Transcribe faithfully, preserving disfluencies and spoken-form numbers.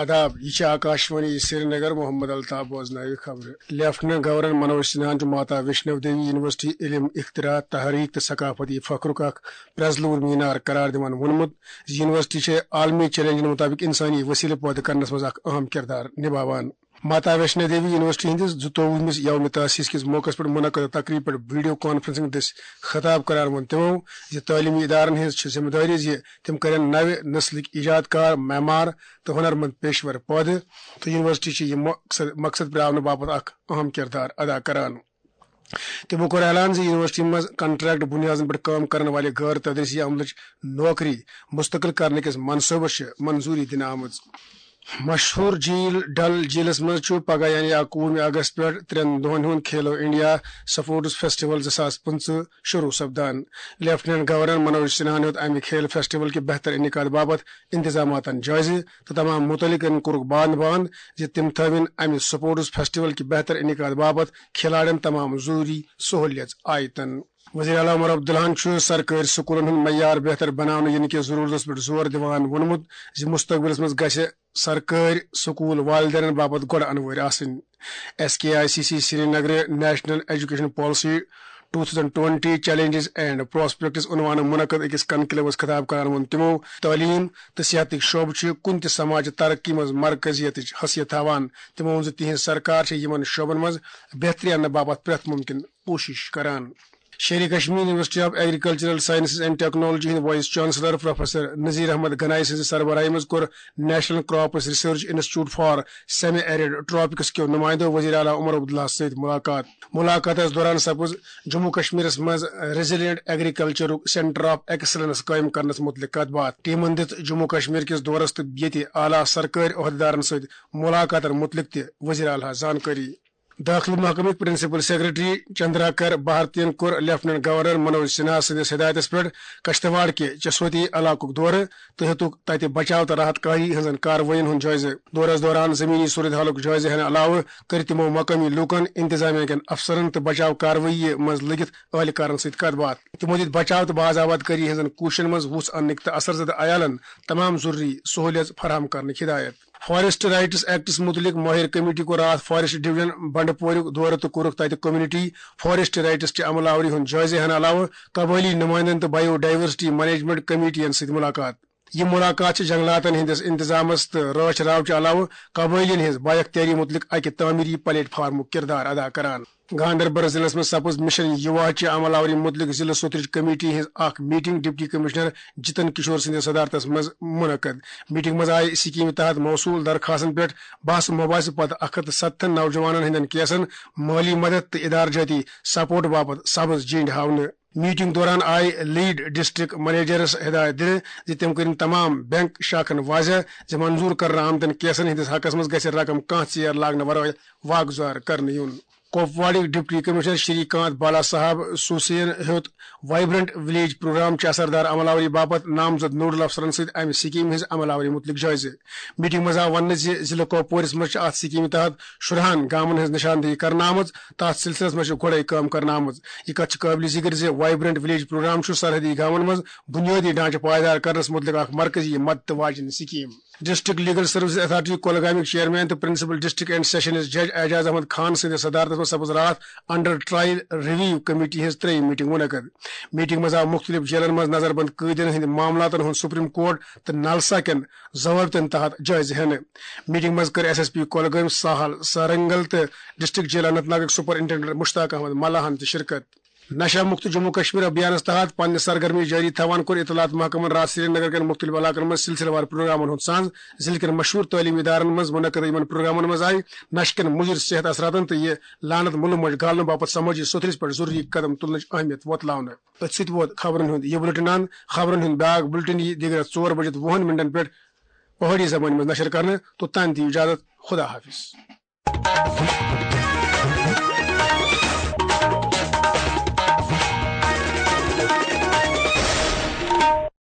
آداب، یہ چھِ آکاشوانی سرینگر۔ محمد الطاف بوزناوِ خبرٕ۔ لیفٹیننٹ گورنر منوج سنہاہن چھُ ماتا ویشنو دیوی یونیورسٹی علم، اختراع، تحریک تہٕ ثقافتی فخرُک اکھ پرزلوٗر مینار قرار دِوان ووٚنمُت زِ یونیورسٹی چھےٚ عالمی چیلنجن مُطٲبِق انسٲنی وسیلہٕ پٲدٕ کرنس منٛز اکھ اہم کردار نباوان۔ ماتا ویشنو دیوی یونیورسٹی ہٕنٛدِس زٕتووُہمِس یوم تاسیس کِس موقعس پٮ۪ٹھ منعقد تقریب پٮ۪ٹھ ویڈیو کانفرنسنگ دٔسۍ خطاب کران ووٚن تِمو زِ تعلیمی ادارن ہٕنٛز چھِ ذمہٕ دٲری زِ تِم کرن نوِ نسلٕکۍ ایجاد کار، معمار تہٕ ہنرمند پیشور پٲدٕ، تہٕ یونیورسٹی چھِ یہِ مقصد، مقصد پراونہٕ باپتھ اکھ اہم کردار ادا کران۔ تِمو کوٚر اعلان زِ یونیورسٹی منٛز کنٹریکٹ بنیادن پٮ۪ٹھ کٲم کرن والہِ غٲر تدریسی عملٕچ نوکری مستقل کرنہٕ کِس منصوبس چھِ منظوری دِنہٕ آمٕژ۔ مشہوٗر جھیل ڈل جھیلس منٛز چھُ پگاہ یعنی اکوُہمہِ اگست پٮ۪ٹھ ترٛٮ۪ن دۄہن ہُنٛد کھیلو انڈیا سپورٹس فیسٹیول زٕ ساس پٕنٛژٕہ شروع سپدان۔ لیفٹیننٹ گورنر منوج سنہاہن ہیوٚت امہِ کھیل فیسٹیول کہِ بہتر انعقاد باپتھ انتظاماتن جٲیزٕ تہٕ تمام متعلقن کوٚرُکھ باند باند زِ تِم تھٲوِن امہِ سپورٹس فیسٹیول کہِ بہتر انعقاد باپتھ کھلاڑٮ۪ن تمام ضروری سہولیژ آیتن۔ وزیر اعلیٰ عمر عبداللہن چھُ سرکٲرۍ سکوٗلن ہُنٛد معیار بہتر بناونہٕ یِنہٕ کِس ضروٗرتس پٮ۪ٹھ زور دِوان ووٚنمُت زِ مستقبلس منٛز گژھِ سرکٲرۍ سکوٗل والدینن باپتھ گۄڈٕ انوٲرۍ آسٕنۍ۔ S K I C C سرینگرٕ national education policy two thousand twenty challenges and prospects عنوانہٕ منعقد أکِس کنکلیوس خطاب کران ووٚن تِمو، تعلیٖم تہٕ صحتٕکۍ شعبہٕ چھِ کُنہِ تہِ سماجہِ ترقی منٛز مرکزیتٕچ حیثیت تھاوان۔ تِمو ووٚن زِ تِہنٛز سرکار چھےٚ یِمن شعبن منٛز بہتری اننہٕ باپتھ پرٛٮ۪تھ مُمکِن کوٗشش کران۔ Sher-e Kashmir university of agricultural sciences and technology ہٕنٛدۍ vice chancellor professor Nazir Ahmad Ganai سٕنٛزِ سربراہی منٛز کوٚر national crops research institute for semi arid tropics کیو نمائندو وزیر اعلیٰ عمر عبداللہ سۭتۍ ملاقات۔ ملاقاتس دوران سپُز جموں کشمیرس منٛز ریزیلینٹ ایگریکلچرک سینٹر آف ایکسلنس قائم کرنس متعلق کتھ باتھ۔ ٹیمن دِژ جموں کشمیر کِس دورس تہٕ ییٚتہِ اعلیٰ سرکٲرۍ عہدیدارن سۭتۍ ملاقاتن متعلق تہِ وزیر اعلیٰ زانکٲری۔ دٲخلہٕ محکمٕکۍ پرنسپل سیکرٹری چندراکر بھارتین کوٚر لیفٹیننٹ گورنر منوج سنہا سٕنٛدِس ہدایتس پٮ۪ٹھ کشتواڑ کہِ چسوتی علاقُک دورٕ تہٕ ہیوٚتُکھ تتہِ بچاو تہٕ راحت کاری ہٕنٛزن کاروٲیین ہُنٛد جٲیزٕ۔ دورس دوران زمینی صورتحالُک جٲیزٕ ہینہٕ علاوٕ کٔرۍ تِمو مقٲمی لوٗکن، انتظامیہ کٮ۪ن افسرن تہٕ بچاو کاروٲیی منٛز لٔگِتھ اہلکارن سۭتۍ کتھ باتھ۔ تِمو دِتۍ بچاو تہٕ باز آباد کٲری ہٕنٛزن کوٗششن منٛز وُژھ اننٕکۍ تہٕ اثر زدٕ عیالن تمام ضروری سہولیژ فراہم کرنٕکۍ ہدایت۔ فارسٹ رائٹس ایکٹس متعلق ماہر کمیٹی کوٚر راتھ فارسٹ ڈویژن بنڈپوریُک دورٕ تہٕ کوٚرُکھ تتہِ کمیونٹی فارسٹ رائٹس چہِ عمل آوری ہُنٛد جٲیزٕ ہینہٕ علاوٕ قبٲئلی نمائندن تہٕ بائیو ڈائیورسٹی مینجمنٹ کمیٹین سۭتۍ ملاقات۔ یہِ ملاقات چھِ جنگلاتن ہٕنٛدِس انتظامس تہٕ رٲچھ راو چہِ علاوٕ قبٲئلین ہٕنٛز بااختیٲری متعلق اکہِ تعمیری پلیٹ فارمُک کردار ادا کران۔ گاندربل ضلعس منٛز سپُز مشن یووا چہِ عمل آوری متعلق ضلع سوترٕچ کمیٹی ہٕنٛز اکھ میٹنگ ڈپٹی کمشنر جتن کشور سٕنٛدِس صدارتس منٛز منعقد۔ میٹنگ منٛز آیہِ سکیمہِ تحت موصول درخواستن پٮ۪ٹھ بحث و مباحثہٕ پتہٕ اکھ ہتھ تہٕ ستتھن نوجوانن ہٕنٛدٮ۪ن کیسن مٲلی مدد تہٕ ادارٕ جٲتی سپورٹ باپتھ سبز جینڈ ہاونہٕ۔ میٹنگ دوران آیہِ لیڈ ڈسٹرکٹ منیجرس ہدایت دِنہٕ زِ تِم کٔرِن تمام بینک شاخن واضح زِ منظور کرنہٕ آمتٮ۪ن کیسن ہٕنٛدِس حقس منٛز گژھِ رقم کانٛہہ ژیر لاگنہٕ ورٲے واگزار کرنہٕ یُن۔ کوپواڑٕکۍ ڈپٹی کمشنر شری کانت بالا صاحب سوسین ہیوٚت وائبرنٹ ولیج پروگرام چہِ اثردار عمل آوری باپتھ نامزد نوڈل افسرن سۭتۍ امہِ سکیمہِ ہٕنٛز عمل آوری متعلق جٲیزٕ۔ میٹنگ منٛز آو وننہٕ زِ ضلع کوپوورِس منٛز چھِ اتھ سکیمہِ تحت شُرہن گامن ہٕنٛز نشاندہی کرنہٕ آمٕژ، تتھ سلسلس منٛز چھِ گۄڈے کٲم کرنہٕ آمٕژ۔ یہِ کتھ چھِ قٲبلِ ذکر زِ وائبرنٹ ولیج پروگرام چھُ سرحدی گامن منٛز بنیٲدی ڈھانچہٕ پائیدار کرنس متعلق اکھ مرکزی مدد واجیٚنۍ scheme. District legal services authority کولگامیُک چیئرمین تہٕ پرنسپل ڈسٹرکٹ اینڈ سیشنز جج اعجاز احمد خان سٕنٛدِس صدارتس منٛز سپُز راتھ انڈر ٹرائل ریویو کمیٹی ہٕنٛز ترٛیٚیِم میٹنگ منعقد۔ میٹنگ منٛز آو مُختٔلِف جیلن منٛز نظربند قٲدین ہٕنٛدِ معاملاتن ہُنٛد سپریم کورٹ تہٕ نلسا کٮ۪ن ضوابطن تحت جٲیزٕ ہینہٕ۔ میٹنگ منٛز کٔر ایس ایس پی کولگٲمۍ ساحل سرنگل تہٕ ڈسٹرکٹ جیل اننت ناگٕکۍ سپرنٹنڈنٹ مشتاق احمد ملاحن تہِ شرکت۔ نشہ مکت جموں کشمیر ابھیانس تحت پننہِ سرگرمی جٲری تھاوان کوٚر اطلاعات محکمن راتھ سرینگر کٮ۪ن مختلف علاقن منٛز سلسلہٕ وار پروگرامن ہُنٛد ساز۔ ضلعہٕ کٮ۪ن مشہوٗر تعلیمی ادارن منٛز منعقد یِمن پروگرامن منٛز آیہِ نشہِ کٮ۪ن مُضر صحت اثراتن تہٕ یہِ لعنت مُلہٕ مۄنجہِ گالنہٕ باپتھ سمٲجی سوٚتھرِس پٮ۪ٹھ ضروٗری قدم تُلنٕچ اہمیت وۄتلاونہٕ۔ أتھۍ سۭتۍ ووت خبرن ہُنٛد یہِ بُلٹن اند۔ خبرن ہُنٛد بیاکھ بُلٹن یِیہِ دِگرس ژور بجِتھ وُہن منٹن پٮ۪ٹھ پہٲڑی زبٲنۍ منٛز نشر کرنہٕ۔ توٚتام دِیِو اجازت، خدا حافظ۔